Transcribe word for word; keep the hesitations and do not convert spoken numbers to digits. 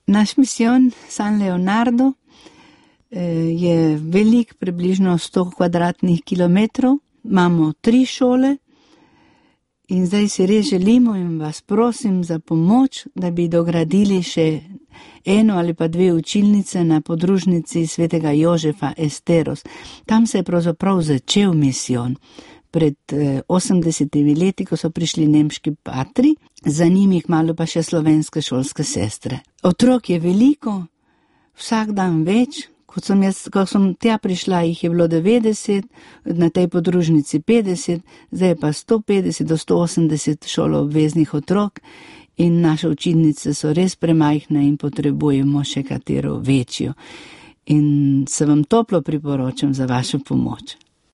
Naš misijon San Leonardo je velik, približno sto kvadratnih kilometrov. Imamo tri šole in zdaj si res želimo in vas prosim za pomoč, da bi dogradili še eno ali pa dve učilnice na podružnici svetega Jožefa Esteros. Tam se je pravzaprav začel misijon. Pred osemdesetimi leti, ko so prišli nemški patri, za njimi malo pa še slovenske šolske sestre. Otrok je veliko, vsak dan več. Ko sem, jaz, ko sem tja prišla, jih je bilo devetdeset, na tej podružnici petdeset, zdaj pa sto petdeset do sto osemdeset šoloobveznih otrok in naše učilnice so res premajhne in potrebujemo še katero večjo. In se vam toplo priporočam za vašo pomoč.